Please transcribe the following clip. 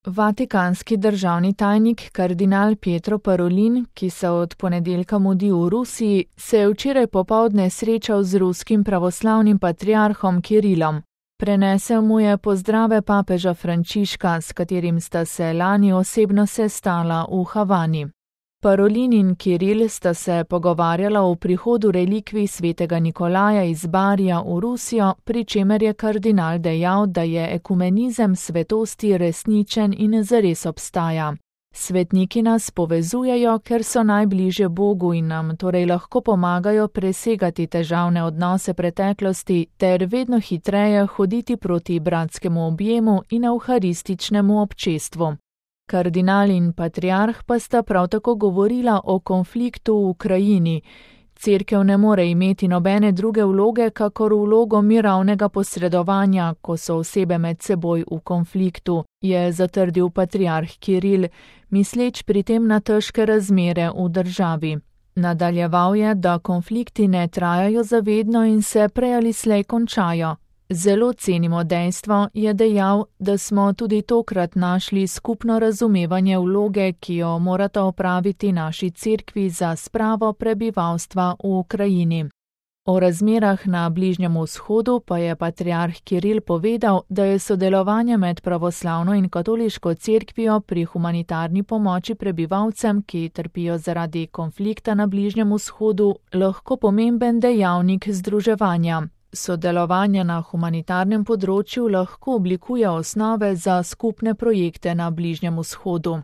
Vatikanski državni tajnik kardinal Pietro Parolin, ki se od ponedeljka mudi v Rusiji, se je včeraj popoldne srečal z ruskim pravoslavnim patriarhom Kirilom. Prenesel mu je pozdrave papeža Frančiška, s katerim sta se lani osebno sestala v Havani. Parolin in Kiril sta se pogovarjala o prihodu relikvij svetega Nikolaja iz Barija v Rusijo, pri čemer je kardinal dejal, da je ekumenizem svetosti resničen in zares obstaja. Svetniki nas povezujejo, ker so najbližje Bogu in nam torej lahko pomagajo presegati težavne odnose preteklosti ter vedno hitreje hoditi proti bratskemu objemu in evharističnemu občestvu. Kardinal in patriarh pa sta prav tako govorila o konfliktu v Ukrajini. Cerkev ne more imeti nobene druge vloge, kakor vlogo mirovnega posredovanja, ko so osebe med seboj v konfliktu, je zatrdil patriarh Kiril, misleč pri tem na težke razmere v državi. Nadaljeval je, da konflikti ne trajajo zavedno in se prej ali slej končajo. Zelo cenimo dejstvo, je dejal, da smo tudi tokrat našli skupno razumevanje vloge, ki jo morata opraviti naši cerkvi za spravo prebivalstva v Ukrajini. O razmerah na Bližnjem vzhodu pa je patriarh Kiril povedal, da je sodelovanje med pravoslavno in katoliško cerkvijo pri humanitarni pomoči prebivalcem, ki trpijo zaradi konflikta na Bližnjem vzhodu, lahko pomemben dejavnik združevanja. Sodelovanje na humanitarnem področju lahko oblikuje osnove za skupne projekte na Bližnjem vzhodu.